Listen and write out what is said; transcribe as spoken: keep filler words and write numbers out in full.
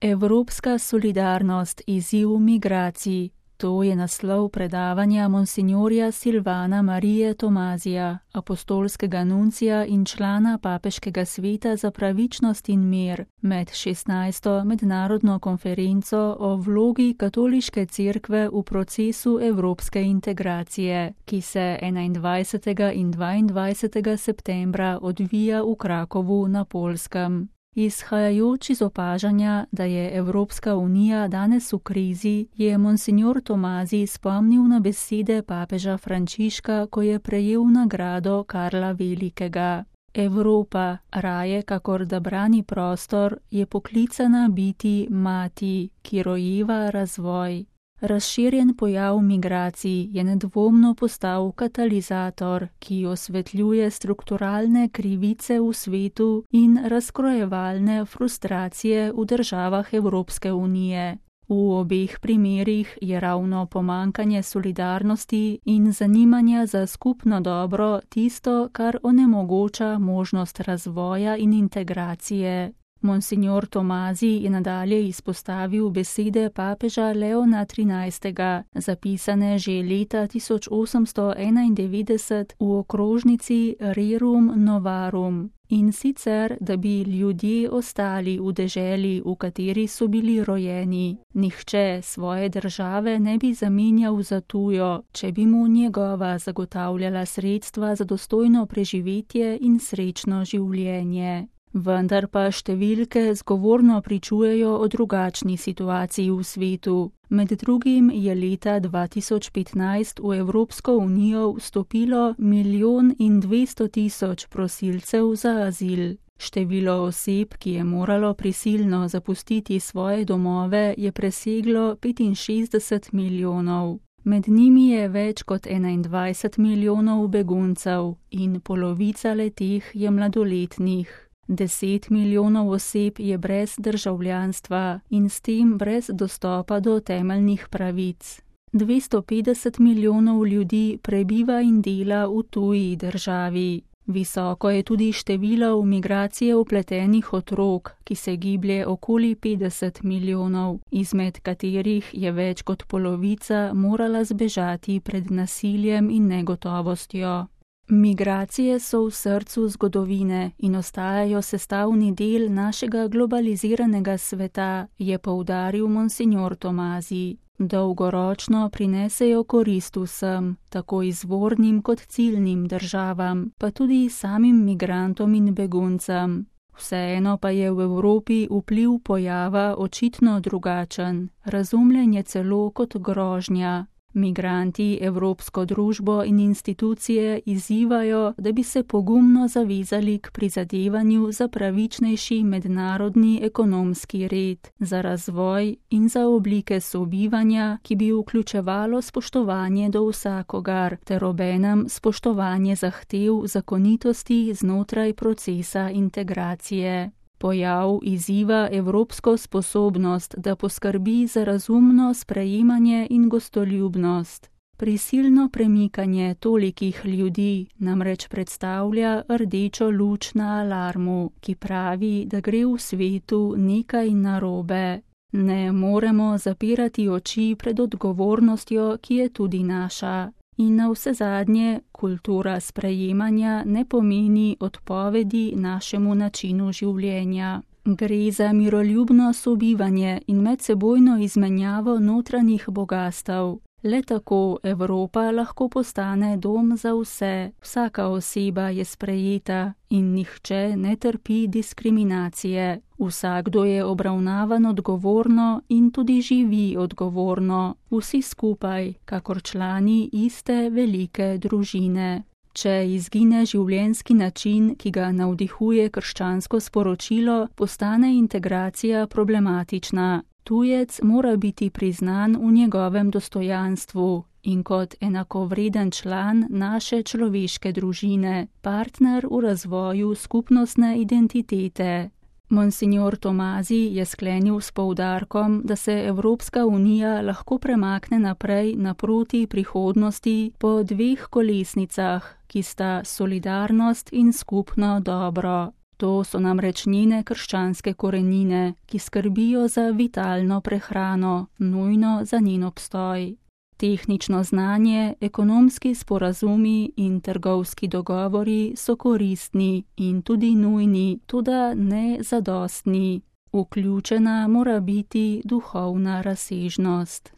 Evropska solidarnost, izziv migracij. To je naslov predavanja monsinjorja Silvana Marije Tomazija, apostolskega nuncija in člana Papeškega sveta za pravičnost in mir med šestnajsto mednarodno konferenco o vlogi katoliške cerkve v procesu evropske integracije, ki se enaindvajsetega in dvaindvajsetega septembra odvija v Krakovu na Poljskem. Izhajajoč iz opažanja, da je Evropska unija danes v krizi, je monsinjor Tomazij spomnil na besede papeža Frančiška, ko je prejel nagrado Karla Velikega. Evropa, raje kakor da brani prostor, je poklicana biti mati, ki rojeva razvoj. Razširjen pojav migracij je nedvomno postal katalizator, ki osvetljuje strukturalne krivice v svetu in razkrojevalne frustracije v državah Evropske unije. V obeh primerih je ravno pomanjkanje solidarnosti in zanimanja za skupno dobro tisto, kar onemogoča možnost razvoja in integracije. Monsinjor Tomazij je nadalje izpostavil besede papeža Leona trinajstega, zapisane že leta tisoč osemsto enaindevetdeset v okrožnici Rerum Novarum, in sicer, da bi ljudje ostali v deželi, v kateri so bili rojeni. Nihče svoje države ne bi zamenjal za tujo, če bi mu njegova zagotavljala sredstva za dostojno preživetje in srečno življenje. Vendar pa številke zgovorno pričujejo o drugačni situaciji v svetu. Med drugim je leta dva tisoč petnajst v Evropsko unijo vstopilo milijon in dvesto tisoč prosilcev za azil. Število oseb, ki je moralo prisilno zapustiti svoje domove, je preseglo petinšestdeset milijonov. Med njimi je več kot enaindvajset milijonov beguncev in polovica le-teh je mladoletnih. Deset milijonov oseb je brez državljanstva in s tem brez dostopa do temeljnih pravic. dvesto petdeset milijonov ljudi prebiva in dela v tuji državi. Visoko je tudi število v migracije vpletenih otrok, ki se giblje okoli petdeset milijonov, izmed katerih je več kot polovica morala zbežati pred nasiljem in negotovostjo. Migracije so v srcu zgodovine in ostajajo sestavni del našega globaliziranega sveta, je poudaril monsinjor Tomazij. Dolgoročno prinesejo korist vsem, tako izvornim kot ciljnim državam, pa tudi samim migrantom in beguncem. Vseeno pa je v Evropi vpliv pojava očitno drugačen, razumljen je celo kot grožnja. Migranti evropsko družbo in institucije izzivajo, da bi se pogumno zavezali k prizadevanju za pravičnejši mednarodni ekonomski red, za razvoj in za oblike sobivanja, ki bi vključevalo spoštovanje do vsakogar, ter obenem spoštovanje zahtev zakonitosti znotraj procesa integracije. Pojav izziva evropsko sposobnost, da poskrbi za razumno sprejemanje in gostoljubnost. Prisilno premikanje tolikih ljudi namreč predstavlja rdečo luč na alarmu, ki pravi, da gre v svetu nekaj narobe. Ne moremo zapirati oči pred odgovornostjo, ki je tudi naša. In navsezadnje, kultura sprejemanja ne pomeni odpovedi našemu načinu življenja. Gre za miroljubno sobivanje in medsebojno izmenjavo notranjih bogastev. Le tako Evropa lahko postane dom za vse, vsaka oseba je sprejeta in nihče ne trpi diskriminacije. Vsakdo je obravnavan odgovorno in tudi živi odgovorno, vsi skupaj, kakor člani iste velike družine. Če izgine življenjski način, ki ga navdihuje krščansko sporočilo, postane integracija problematična. Tujec mora biti priznan v njegovem dostojanstvu in kot enakovreden član naše človeške družine, partner v razvoju skupnostne identitete. Monsinjor Tomazij je sklenil s poudarkom, da se Evropska unija lahko premakne naprej naproti prihodnosti po dveh kolesnicah, ki sta solidarnost in skupno dobro. To so namreč njene krščanske korenine, ki skrbijo za vitalno prehrano, nujno za njen obstoj. Tehnično znanje, ekonomski sporazumi in trgovski dogovori so koristni in tudi nujni, toda ne zadostni. Vključena mora biti duhovna razsežnost.